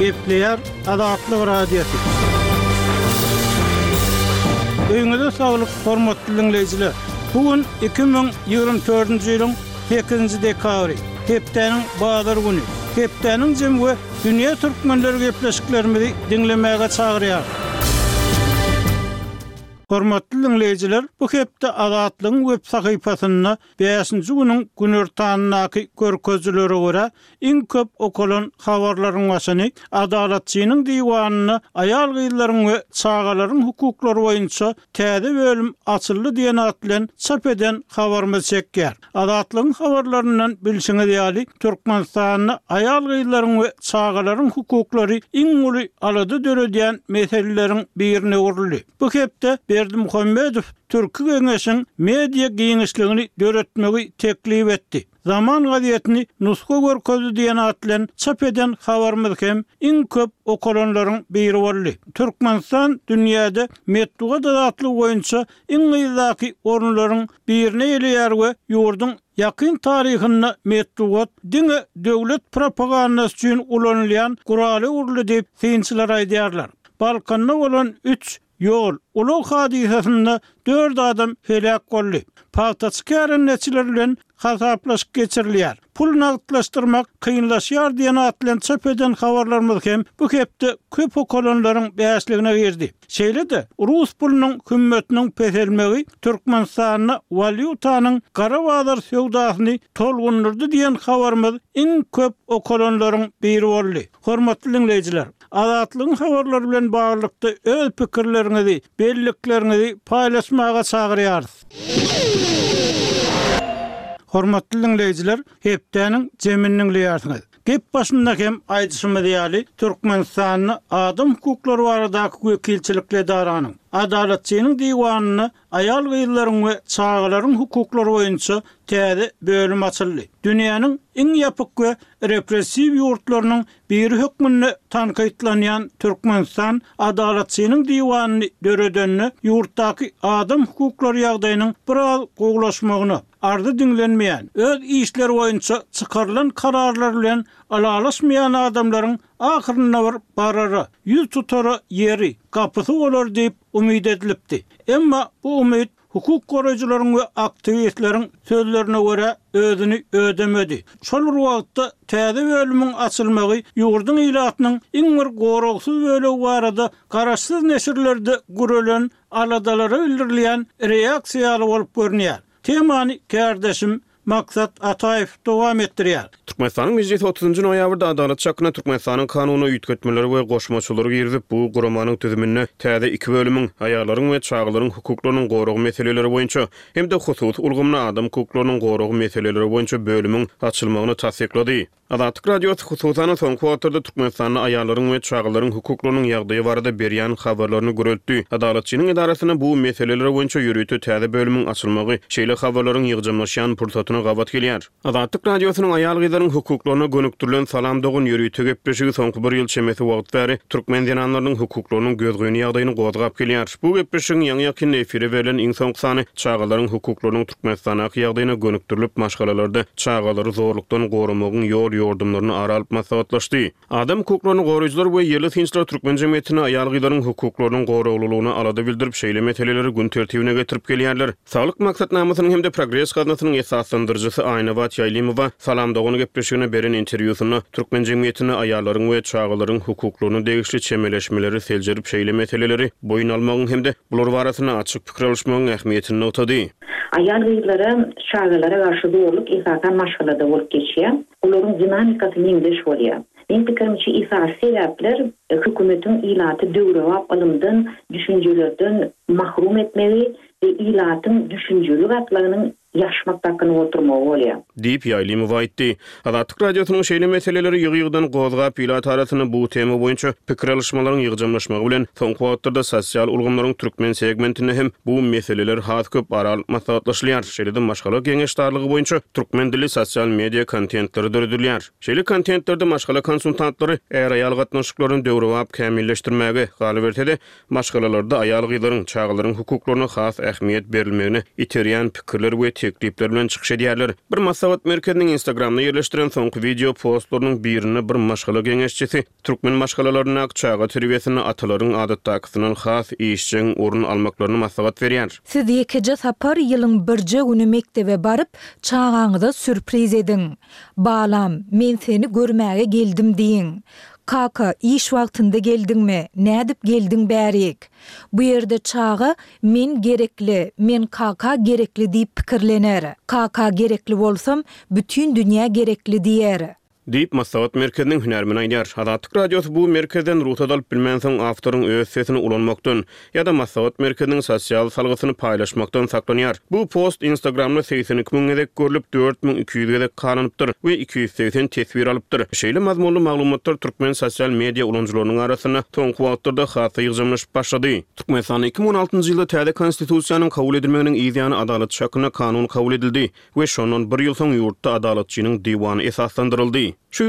Gepleýär Azatlyk Radiosy. Öýüňize saglyk, hormatly diňleýjiler! Bu gün 2024-nji ýylyň sekizinji dekabry, hepdäniň bazar güni. Hepdäniň jemi we dünýä türkmenleri gepleşiklerimizi diňlemäge çagyrýarys. Hormatly diňleýjiler, bu hepde Azatlygyň web sahypasynda bäşinji günüň günortanyndaky görkezijilere görä, iň köp okalan habarlaryň başyny Adalatçynyň diwanynda aýal-gyzlaryň we çagalaryň hukuklary boýunça täze bölüm açyldy diýen at bilen çap eden habarymyz çekýär. Azatlygyň habarlaryndan bilşiňiz ýaly, Türkmenistanda aýal-gyzlaryň we çagalaryň hukuklary iň uly alada döredýän meseleleriň birine öwrüldi. Bu hepde Berdimuhamedow Türki Geňeşiň media giňişligini döretmegi teklip etdi. Zaman gazetini nusga görkezdi diýen at bilen çap eden habarymyz hem iň köp okalanlaryň biri boldy. Türkmenistan dünýäde metbugat azatlygy boýunça iň yzdaky orunlaryň birini eýeleýär we ýurduň ýakyn taryhynda metbugat diňe döwlet propagandasy üçin ulanylýan gurala öwrüldi diýip, synçylar aýdýarlar. Balkanda bolan üç Ýol, ulag hadysasynda dört adam heläk boldy. Pagtaçy kärendeçiler bilen hasaplaşyk geçirilýär. Pul nagtlaşdyrmak kynlaşýar diýen at bilen çap eden habarlarymyz hem bu hepde köp okalanlaryň bäşligine girdi. Şeýle-de, rus pulunyň hümmetiniň peselmegi Türkmenistanda walýutanyň gara bazar söwdasyny tolgundyrdy diýen habarymyz iň köp okalanlaryň biri boldy. Hormatly diňleýjiler! Azatlygyň habarlary bilen baglylykda öz pikirleriňizi, bellikleriňizi paýlaşmaga çagyrýarys. Hormatly diňleýjiler, hepdäniň jemini diňleýärsiňiz. Gep başynda hem aýdyşymyz ýaly, Türkmenistanda adam hukuklary baradaky wekilçilikli edaranyň, Adalatçynyň diwanynda aýal-gyzlaryň we çagalaryň hukuklary boýunça täze bölüm açyldy. Dünýäniň iň ýapyk we repressiw ýurtlarynyň biri hökmünde tankytlanýan Türkmenistan Adalatçynyň diwanyny döredende ýurtdaky adam hukuklary ýagdaýynyň biraz gowulaşmagyna, arzy diňlenmeýän, öz işleri boýunça çykarylan kararlar bilen ylalaşmaýan adamlaryň ahyrynda bir barara, ýüz tutara ýeri, gapysy bolar diýip umyt edilipdi. Emma bu umyt Hukuk goraýjylaryň we aktiwistleriň sözlerine görä, özüni ödemedi. Şol bir wagtda, täze bölümiň açylmagy ýurduň ilatynyň iň bir goragsyz bölegi barada garaşsyz neşirlerde gürelen aladalara bildirilýän reaksiýa ýaly bolup görünýär. Temany kärdeşim Maksat Ataýew dowam etdirýär. Türkmenistanyň Mejlisi otuzynjy noýabrda Adalat çakyna Türkmenistanyň Kanunyna üýtgetmeleri we goşmaçalary girizip, bu guramanyň düzüminde täze iki bölümiň, aýallaryň we çagalaryň hukuklarynyň goragy meseleleri boýunça hem-de hususy ulgamda adam hukuklarynyň goragy meseleleri boýunça bölümiň açylmagyny tassyklady. Azatlyk Radiosy, hususan-da, soňky wagtlarda Türkmenistanda aýallaryň we çagalaryň hukuklarynyň ýagdaýy barada berýän habarlaryny güreltdi. Adalatçynyň edarasynda bu meseleler boýunça ýörite täze bölümiň açylmagy şeýle habarlaryň ýygjamlaşýan pursatyna gabat gelýär. Azatlyk Radiosynyň aýal-gyzlaryň hukuklaryna gönükdirilen Salam dogan ýörite gepleşigi soňky bir ýyl çemesi wagt bäri türkmen zenanlarynyň hukuklarynyň gözgyny ýagdaýyny gozgap gelýär. Bu gepleşigiň ýaňy-ýakynda efire berlen iň soňky sany çagalaryň hukuklarynyň Türkmenistandaky ýagdaýyna gönükdirilip, maşgalalarda çagalary zorlukdan goramagyň ýol-ýordumlaryny ara alyp maslahatlaşdy. Adam hukuklaryny goraýjylar we ýerli synçylar türkmen jemgyýetinde aýal-gyzlaryň hukuklarynyň goraglylygyna alada bildirip, şeýle meseleleri gün tertibine getirip gelýärler. Saglyk maksatnamasynyň hem-de Progres gaznasynyň esaslandyryjysy Aýnabat Ýaýlymowa Salam dogan gepleşigine beren interwýusynda türkmen jemgyýetinde aýallaryň we çagalaryň hukuklaryna degişli çemeleşmeleri seljerip, şeýle meseleleri boýun almagyň hem-de bular barasynda açyk pikir alyşmagyň ähmiýetini nygtady. Aýal-gyzlara, çagalara garşy zorluk esasan maşgalada bolup geçýär. Olaryň dinamikasy meňzeş bolýar. Meň pikirimçe esasy sebäpler hökümetiň ilaty döwrebap ylymdan, düşünjelerden mahrum etmegi we ilatyň düşünjeli gatlagynyň ýaşmak dakynyp oturmagy bolýar. Diýip, Ýaýlymowa aýtdy. Azatlyk Radiosynyň şeýle meseleleri ýygy-ýygydan gozgap, ilat arasynda bu tema boýunça pikir alyşmalaryň ýygjamlaşmagy bilen, soňky wagtlarda sosial ulgamlaryň türkmen segmentinde hem bu meseleler has köp ara alyp maslahatlaşylýar, şeýle-de maşgala geňeşdarlygy boýunça türkmen dilli sosial media kontentleri döredilýär. Şeýle kontentlerde maşgala konsultantlary är-aýal gatnaşyklaryny döwrebap kämilleşdirmäge, galyberse-de, maşgalalarda aýal-gyzlaryň, çagalaryň hukuklaryna has ähmiýet berilmegine iterýän pikirler we. teklipler bilen çykyş edýärler. Bir maslahat merkeziniň Instagramda ýerleşdiren soňky wideo postlarynyň birinde bir maşgala geňeşçisi türkmen maşgalalaryndaky çaga terbiýesinde atalaryň adatdakysyndan has işjeň orun almaklaryny maslahat berýär. Siz ýekeje sapar ýylyň birje güni mekdebe baryp, çagaňyza sýurpriz ediň. Balam, men seni görmäge geldim diýiň. Kaka, iş wagtynda geldiňmi, nädip geldiň bärik? Bu ýerde çaga men gerekli, men kaka gerekli diýip pikirlener. Kaka gerekli bolsam, bütin dünýä gerekli diýer. Diýip, maslahat merkeziniň hünärmeni aýdýar. Azatlyk Radiosy bu merkezden rugsat alyp bilmänsoň, awtoryň öz sesini ulanmakdan ýa-da maslahat merkeziniň sosial salgysyny paýlaşmakdan saklanýar. Bu post Instagramda 82 müň gezek görlüp, 4200 gezek halanypdyr we 280 teswir alypdyr. Şeýle mazmunly maglumatlar türkmen sosial media ulanyjylarynyň arasynda soňky wagtlarda has-da ýygjamlaşyp başlady. Türkmenistanda 2016-njy ýylda täze Konstitusiýanyň kabul edilmeginiň yz ýany Adalatçy hakynda kanun kabul edildi. We şondan bir ýyl soň ýurtda Adalatçynyň diwany esaslandyryldy. Şu ýyl.